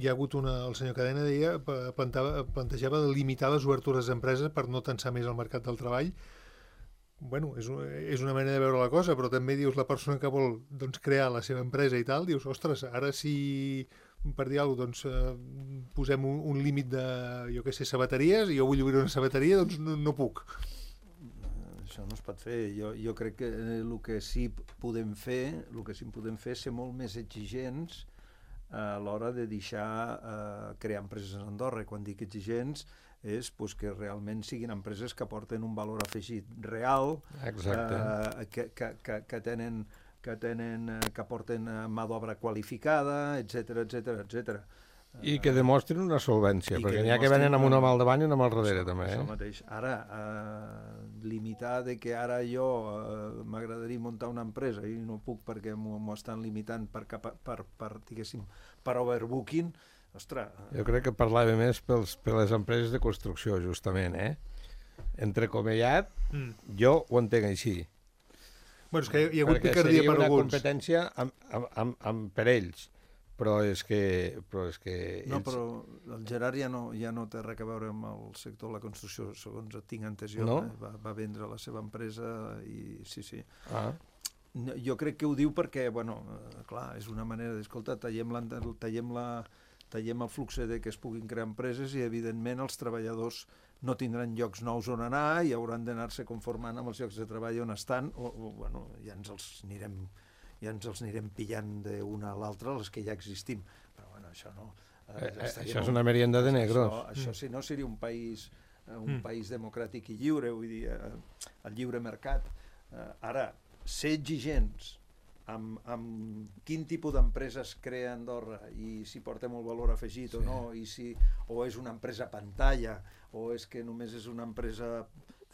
hi ha hagut el senyor Cadena deia, plantejava de limitar les obertures d'empreses per no tensar més el mercat del treball. Bueno, és una manera de veure la cosa, però també dius la persona que vol crear la seva empresa i tal, dius, ostres, ara si per dir alguna cosa, posem un límit de, jo què sé, sabateries, i jo vull obrir una sabateria, doncs no puc. Això no es pot fer. Jo crec que el que sí podem fer és ser molt més exigents a l'hora de deixar crear empreses a Andorra. I quan dic exigents és que realment siguin empreses que aporten un valor afegit real, que aporten mà d'obra qualificada, etc. I que demostrin una solvència, perquè n'hi ha que venen amb una mà al davant i una mà al darrere, també. Això mateix. Ara, limitar de que ara jo m'agradaria muntar una empresa i no puc perquè m'ho estan limitant per overbooking, ostres... Jo crec que parlava més per les empreses de construcció, justament, Entrecomillat, jo ho entenc així. Bueno, és que hi ha hagut picardia per alguns. Perquè seria una competència per ells, però és que... No, però el Gerard ja no té res a veure amb el sector de la construcció, segons tinc entès jo. No? Va vendre la seva empresa i sí. Ah. Jo crec que ho diu perquè, bueno, clar, és una manera d'escoltar, tallem el flux de que es puguin crear empreses i, evidentment, els treballadors no tindran llocs nous on anar i hauran d'anar-se conformant amb els llocs de treball on estan, bueno, ja ens els anirem pillant d'una a l'altra, les que ja existim. Però, bueno, això no... Això és una merienda de negros. Això si no seria un país democràtic i lliure, vull dir, el lliure mercat. Ara, ser exigents amb quin tipus d'empreses crea Andorra i si porta molt valor afegit o no, o és una empresa pantalla, o és que només és una empresa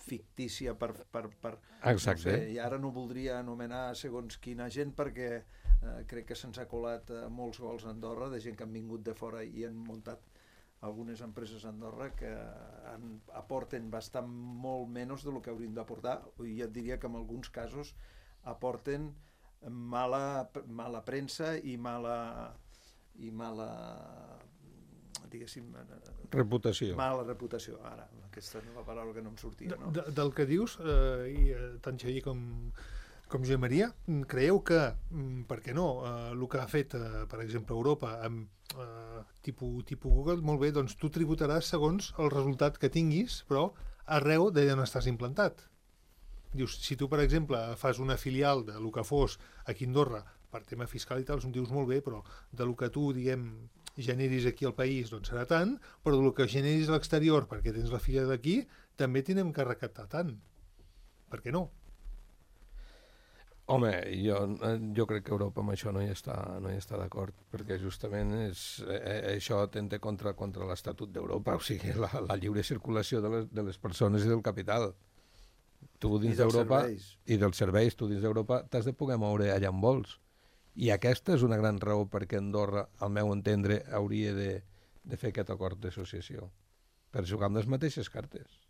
fictícia per Exacte. No sé, i ara no voldria anomenar segons quina gent perquè crec que se'ns ha colat molts gols a Andorra de gent que han vingut de fora i han muntat algunes empreses a Andorra que aporten bastant molt menys del que haurien d'aportar, i et diria que en alguns casos aporten mala premsa i mala diguéssim reputació. Mala reputació, ara, aquesta nova paraula que no em sortia, no? Del que dius, tant Xavier com Josep Maria, creieu que, per què no, el que ha fet, per exemple, Europa amb tipus Google, molt bé, doncs tu tributaràs segons el resultat que tinguis, però arreu d'allà on estàs implantat. Dius, si tu, per exemple, fas una filial de lo que fos aquí a Andorra per tema fiscal i tal, dius molt bé, però de lo que tu, diguem, generis aquí al país, doncs serà tant, però del que generis a l'exterior, perquè tens la filial d'aquí, també tindrem que recaptar tant. Per què no? Home, jo crec que Europa amb això no hi està d'acord, perquè justament això atenta contra l'Estatut d'Europa, o sigui, la lliure circulació de les persones i del capital. tu dins d'Europa, i dels serveis, tu dins d'Europa t'has de poder moure allà on vols. I aquesta és una gran raó perquè Andorra, al meu entendre, hauria de fer aquest acord d'associació, per jugar amb les mateixes cartes.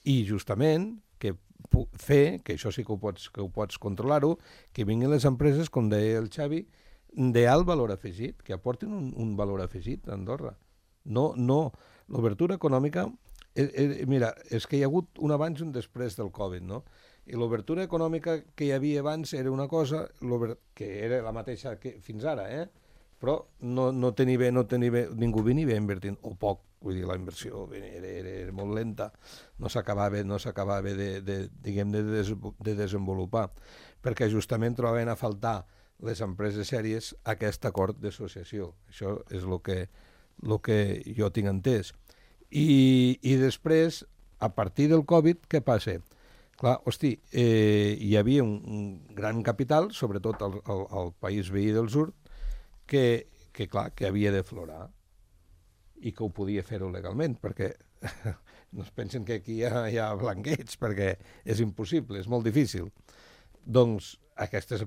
I justament que fer, que això sí que ho pots controlar-ho, que vinguin les empreses, com deia el Xavi, d'alt valor afegit, que aportin un valor afegit a Andorra. No, l'obertura econòmica... Mira, és que hi ha hagut un abans i un després del Covid, no? I l'obertura econòmica que hi havia abans era una cosa que era la mateixa que fins ara, però no tenia bé, ningú venia invertint, o poc, vull dir, la inversió era molt lenta, no s'acabava de desenvolupar, perquè justament trobaven a faltar les empreses sèries aquest acord d'associació. Això és el que jo tinc entès. I després, a partir del Covid, què passa? Clar, hosti, hi havia un gran capital, sobretot al país veí del sud, que havia de florar i que ho podia fer-ho legalment, perquè no es pensen que aquí hi ha blanqueig, perquè és impossible, és molt difícil. Doncs aquestes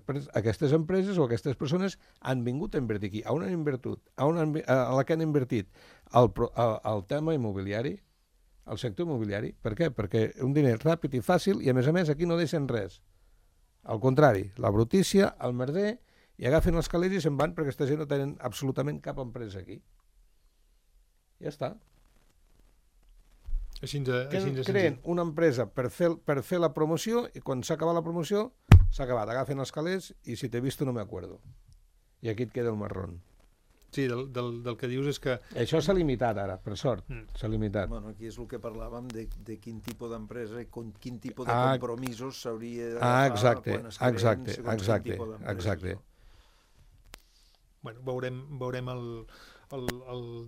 empreses o aquestes persones han vingut a invertir aquí. On han invertit? A la que han invertit? Al tema immobiliari, al sector immobiliari. Per què? Perquè un diner ràpid i fàcil i, a més, aquí no deixen res. Al contrari, la brutícia, el merder, i agafen els calés i se'n van perquè aquesta gent no tenen absolutament cap empresa aquí. Ja està. Creen una empresa per fer la promoció i quan s'ha acabat la promoció s'ha acabat, agafen els calés i si t'he vist no me acuerdo. I aquí et queda el marrón. Sí, del que dius és que... Això s'ha limitat ara, per sort. S'ha limitat. Bueno, aquí és el que parlàvem de quin tipus d'empresa i quin tipus de compromisos s'hauria d'agafar quan es creen segons quin tipus d'empresa. Bueno, veurem el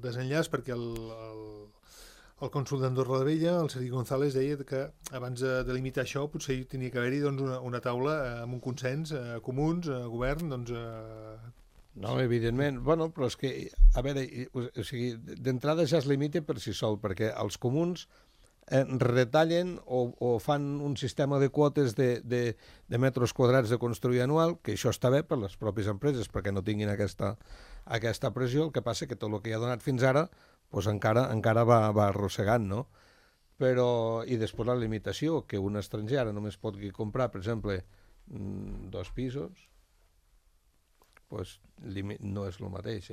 desenllaç perquè el cònsol d'Andorra la Vella, el Sergi González, deia que abans de limitar això potser tenia que haver-hi una taula amb un consens, comuns, govern, doncs... No, evidentment. Bueno, però és que, a veure, o sigui, d'entrada ja es limita per si sol, perquè els comuns retallen o fan un sistema de quotes de metres quadrats de construir anual, que això està bé per les pròpies empreses, perquè no tinguin aquesta pressió. El que passa que tot el que hi ha donat fins ara doncs encara va arrossegant, no? Però, i després la limitació, que un estranger ara només pot comprar, per exemple, 2 pisos, doncs no és el mateix,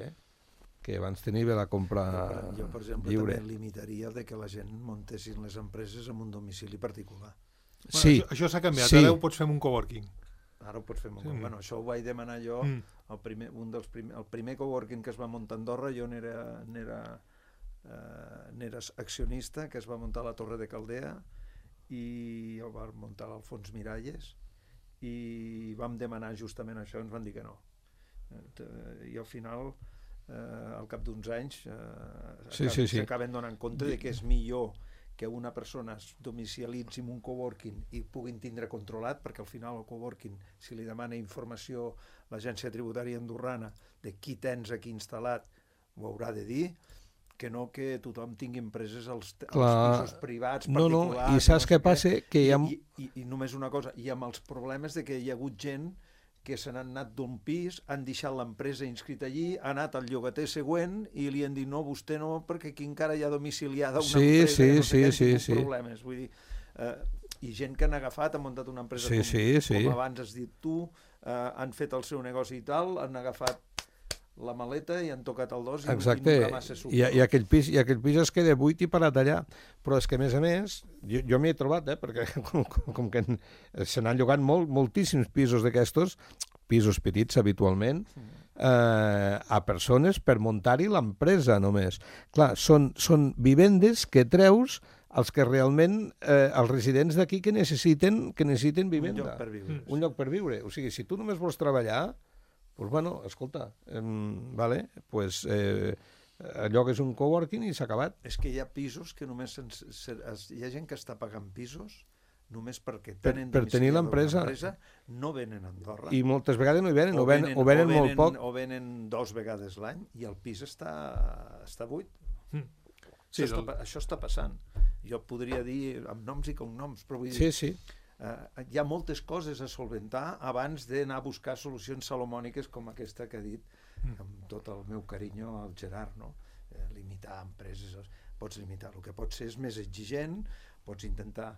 que abans tenia la compra lliure. Jo, per exemple, també limitaria de que la gent muntessin les empreses amb un domicili particular. Sí. Bueno, això s'ha canviat, ara ho pots fer amb un coworking. Ara ho pots fer amb un coworking. Bueno, això ho vaig demanar jo, el primer coworking que es va muntar a Andorra, jo n'era accionista, que es va muntar a la Torre de Caldea, i el va muntar l'Alfons Miralles, i vam demanar justament això, ens van dir que no. I al final, al cap d'uns anys, s'acaben donant compte de que és millor que una persona es domicilialitzi en un coworking i puguin tindre controlat, perquè al final el coworking, si li demana informació l'agència tributària andorrana de qui tens aquí instal·lat, ho haurà de dir, que no que tothom tingui empreses als pisos privats, particulars... No, i saps què passa? I només una cosa, i amb els problemes de que hi ha hagut gent que se n'han anat d'un pis, han deixat l'empresa inscrita allí, ha anat al llogater següent i li han dit no, vostè no, perquè aquí encara hi ha domiciliada una empresa, no sé què, problemes. Vull dir, i gent que han agafat, han muntat una empresa com abans has dit tu, han fet el seu negoci i tal, han agafat la maleta i han tocat el dos i nunca massa suc. I aquell pis es queda buit i parat allà. Però és que, a més, jo m'hi he trobat, perquè com que se n'han llogat moltíssims pisos d'aquestos, pisos petits habitualment, a persones per muntar-hi l'empresa només. Clar, són vivendes que treus els que realment, els residents d'aquí que necessiten vivenda. Un lloc per viure. O sigui, si tu només vols treballar, doncs, bueno, escolta, allò que és un coworking i s'ha acabat. És que hi ha pisos que només... Hi ha gent que està pagant pisos només perquè tenen per tenir l'empresa, no venen a Andorra. I moltes vegades no hi venen, o venen molt poc. O venen 2 vegades l'any i el pis està buit. Sí, això està passant. Jo podria dir amb noms i cognoms, però vull dir... Sí, sí. Hi ha moltes coses a solventar abans d'anar a buscar solucions salomòniques com aquesta que ha dit, amb tot el meu carinyo al Gerard, no? Limitar empreses, pots limitar. El que pots ser és més exigent, pots intentar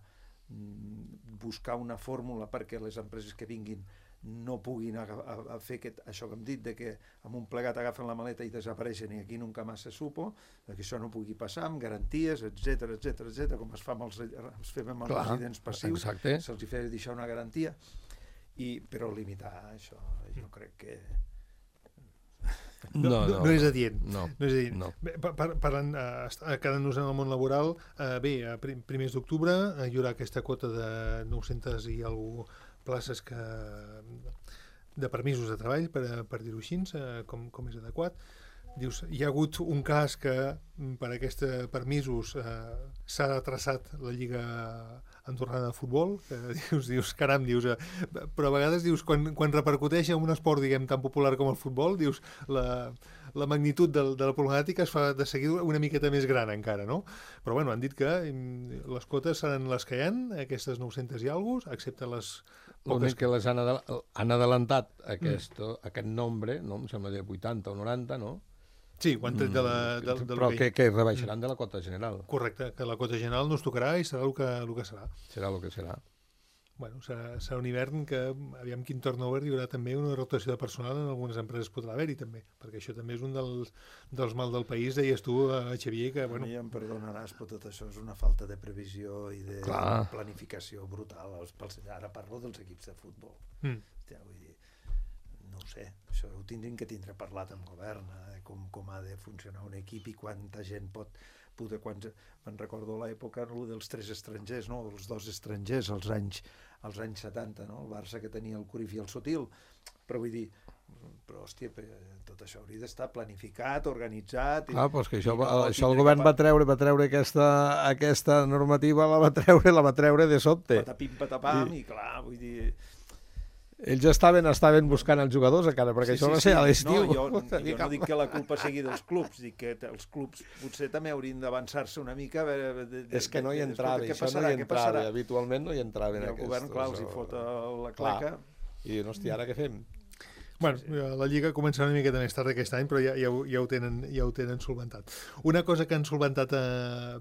buscar una fórmula perquè les empreses que vinguin no puguin a fer això que hem dit, de que amb un plegat agafen la maleta i desapareixen i aquí nunca més se supo, que això no pugui passar, amb garanties, etc, com es fem amb els residents passius, se'ls hi fa deixar una garantia, però limitar això, jo crec que... No és adient. No. Parlant, quedant-nos en el món laboral, bé, a primers d'octubre hi haurà aquesta quota de 900 i alguna places de permisos de treball, per dir-ho així, com és adequat. Dius, hi ha hagut un cas que per aquests permisos s'ha traçat la Lliga Andorrana de Futbol, que dius, caram, però a vegades dius, quan repercuteix en un esport, diguem, tan popular com el futbol, dius, la magnitud de la problemàtica es fa de seguida una miqueta més gran encara, no? Però bueno, han dit que les quotes seran les que hi ha, aquestes 900 i alguna, excepte les l'únic que les han adelantat aquest nombre, no? Em sembla de 80 o 90, no? Sí, ho han tret però que rebaixaran de la quota general. Correcte, que la quota general no es tocarà i serà el que serà. Serà el que serà. Bueno, serà un hivern que, aviam quin turnover, hi haurà també una rotació de personal en algunes empreses podrà haver-hi també, perquè això també és un dels mal del país, deies tu, Xavier, que... Bueno... A mi em perdonaràs, però tot això és una falta de previsió i de planificació brutal. Ara parlo dels equips de futbol. Hòstia, vull dir, no ho sé, això ho tindrin que tindre parlat amb govern, com ha de funcionar un equip i quanta gent pot... Me'n recordo l'època dels 3 estrangers, no? Els 2 estrangers als anys 70, no? El Barça que tenia el Cruyff i el Sotil, però vull dir, hòstia, tot això hauria d'estar planificat, organitzat... Doncs que això el govern va treure aquesta normativa, la va treure de sobte. Patapim, patapam, i clar, vull dir... Ells estaven buscant els jugadors encara, perquè això va ser a l'estiu. No, jo no dic que la culpa sigui dels clubs, dic que els clubs potser també haurien d'avançar-se una mica. És que no hi entrava, això no hi entrava, habitualment no hi entraven aquests. I el govern, clar, els hi fot la claca. I diuen, hòstia, ara què fem? Bueno, la Lliga començarà una miqueta més tard aquest any, però ja ho tenen solventat. Una cosa que han solventat a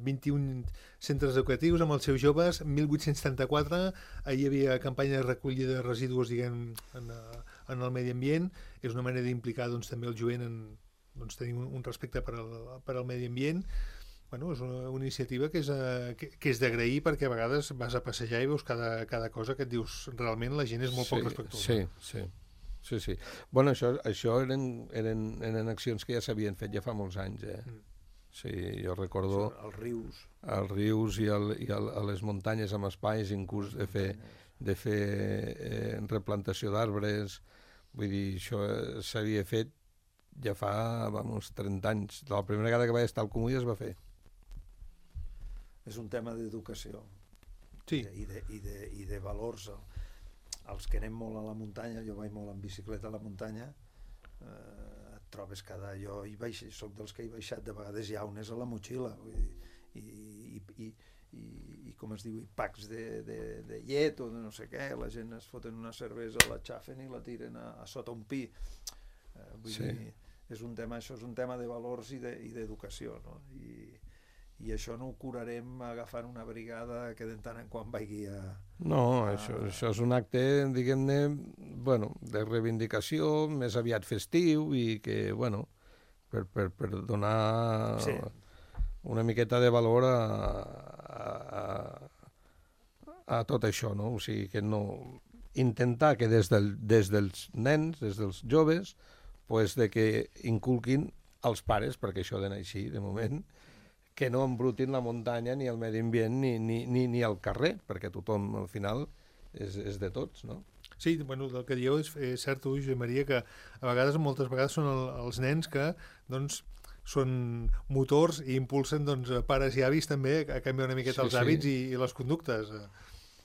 21 centres educatius amb els seus joves, 1.834, hi havia campanya de recollida de residus, diguem, en el medi ambient. És una manera d'implicar també el jovent en tenir un respecte per al medi ambient. Bueno, és una iniciativa que és d'agrair, perquè a vegades vas a passejar i veus cada cosa que et dius, realment la gent és molt poc respectuosa. Sí. Bueno, això eren accions que ja s'havien fet ja fa molts anys, Sí, jo recordo... Els rius i a les muntanyes amb espais, inclús de fer replantació d'arbres. Vull dir, això s'havia fet ja fa 30 anys. La primera vegada que vaig estar al Comú ja es va fer. És un tema d'educació. Sí. I de valors. Els que anem molt a la muntanya, jo vaig molt en bicicleta a la muntanya, et trobes jo soc dels que he baixat de vegades llaunes a la motxilla, i com es diu, i packs de llet o de no sé què, la gent es foten una cervesa, la xafen i la tiren a sota un pi. Vull dir, és un tema de valors i d'educació, no? I això no ho curarem agafant una brigada que de tant en quan vagi a... No, això és un acte, diguem-ne, de reivindicació, més aviat festiu, i que, per donar una miqueta de valor a tot això, no? O sigui, que no... Intentar que des dels nens, des dels joves, de que inculquin als pares, perquè això d'anar així, de moment, que no embrutin la muntanya, ni el medi ambient, ni el carrer, perquè tothom, al final, és de tots, no? Sí, bueno, el que dieu és cert, Josep Maria, que moltes vegades són els nens que, són motors i impulsen, pares i avis també a canviar una miqueta els hàbits i les conductes.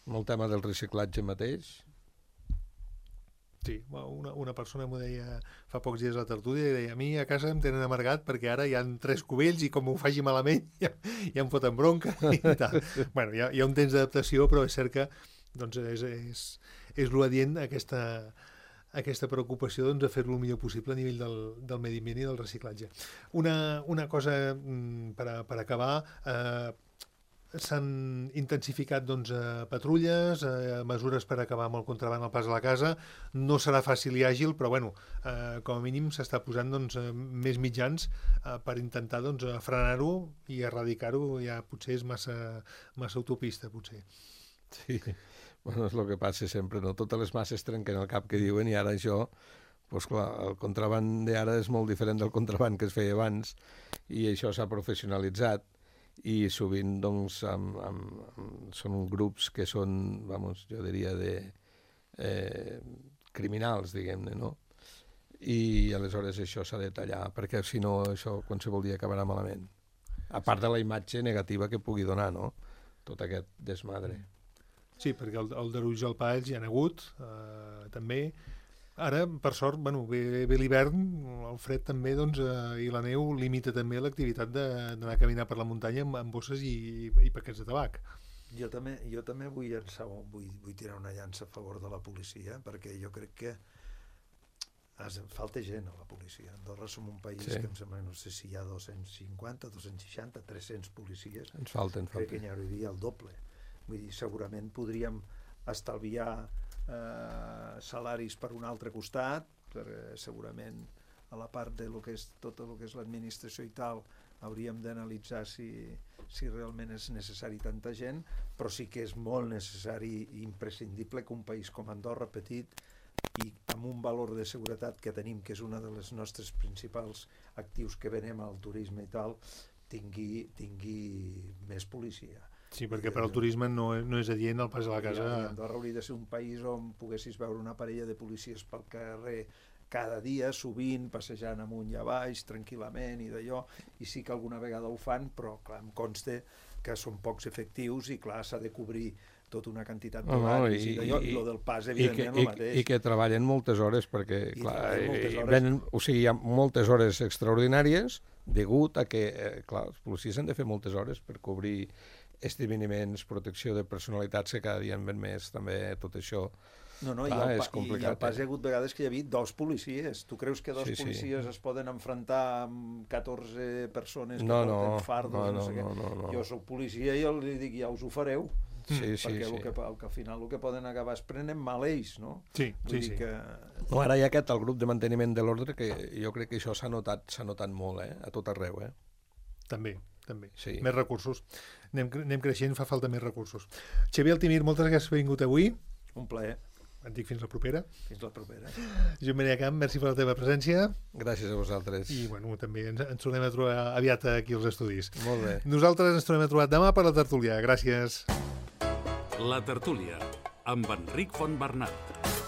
El tema del reciclatge mateix. Sí, una persona m'ho deia fa pocs dies a la tertúlia i deia, a mi a casa em tenen amargat perquè ara hi ha 3 cubells i com ho faci malament ja em foten bronca i tal. Bueno, hi ha un temps d'adaptació, però és cert que doncs, és l'adient aquesta preocupació doncs, de fer-lo el millor possible a nivell del medi ambient i del reciclatge. Una cosa per acabar, s'han intensificat doncs, patrulles, mesures per acabar amb el contraban al pas de la casa. No serà fàcil i àgil, però bueno, com a mínim s'està posant doncs, més mitjans per intentar doncs, frenar-ho i erradicar-ho. Ja potser és massa utopista, potser. Sí, bueno, és el que passa sempre, no? Totes les masses trenquen el cap que diuen i ara això, doncs clar, el contraban d'ara és molt diferent del contraban que es feia abans i això s'ha professionalitzat i sovint doncs, són grups que són, vamos, jo diria, criminals, diguem-ne, no? I aleshores això s'ha de tallar, perquè si no això qualsevol dia acabarà malament. A part de la imatge negativa que pugui donar, no? Tot aquest desmadre. Sí, perquè el deruig al pas hi ha hagut, també. Ara, per sort, bueno, ve l'hivern, el fred també, doncs, i la neu limita també l'activitat d'anar a caminar per la muntanya amb bosses i paquets de tabac. Jo també vull tirar una llança a favor de la policia, perquè jo crec que falta gent a la policia. Andorra som un país que em sembla, no sé si hi ha 250, 260, 300 policies. Ens falten. Crec que n'hi hauria el doble. Vull dir, segurament podríem estalviar salaris per un altre costat, perquè segurament a la part de tot el que és l'administració i tal hauríem d'analitzar si realment és necessari tanta gent, però sí que és molt necessari i imprescindible que un país com Andorra, petit i amb un valor de seguretat que tenim, que és una de les nostres principals actius que venem al turisme i tal, tingui més policia. Sí, perquè per al turisme no és adient el pas a la casa. Andorra hauria de ser un país on poguessis veure una parella de policies pel carrer cada dia, sovint, passejant amunt i avall, tranquil·lament i d'allò, i sí que alguna vegada ho fan, però clar, em consta que són pocs efectius i clar, s'ha de cobrir tota una quantitat d'horaris i d'allò, i el del pas, evidentment, el mateix. I que treballen moltes hores, perquè clar, hi ha moltes hores extraordinàries degut a que, clar, els policies han de fer moltes hores per cobrir esdeveniments, protecció de personalitats que cada dia en ven més, també tot això. No, és complicat. I al pas hi ha hagut vegades que hi havia 2 policies. Tu creus que 2 policies es poden enfrontar amb 14 persones que porten fardos? No. Jo soc policia i els dic, ja us ho fareu. Perquè al final el que poden acabar és prenent mal ells, no? Sí. No, ara hi ha el grup de manteniment de l'ordre que jo crec que això s'ha notat molt, a tot arreu, També. Sí. Més recursos. Anem creixent, fa falta més recursos. Xavier Altimir, moltes gràcies per haver vingut avui. Un plaer. Et dic fins la propera. Fins la propera. Joan Maria Camp, merci per la teva presència. Gràcies a vosaltres. I bueno, també ens tornem a trobar aviat aquí als estudis. Molt bé. Nosaltres ens tornem a trobar demà per la tertúlia. Gràcies. La tertúlia, amb Enric Fontbernat.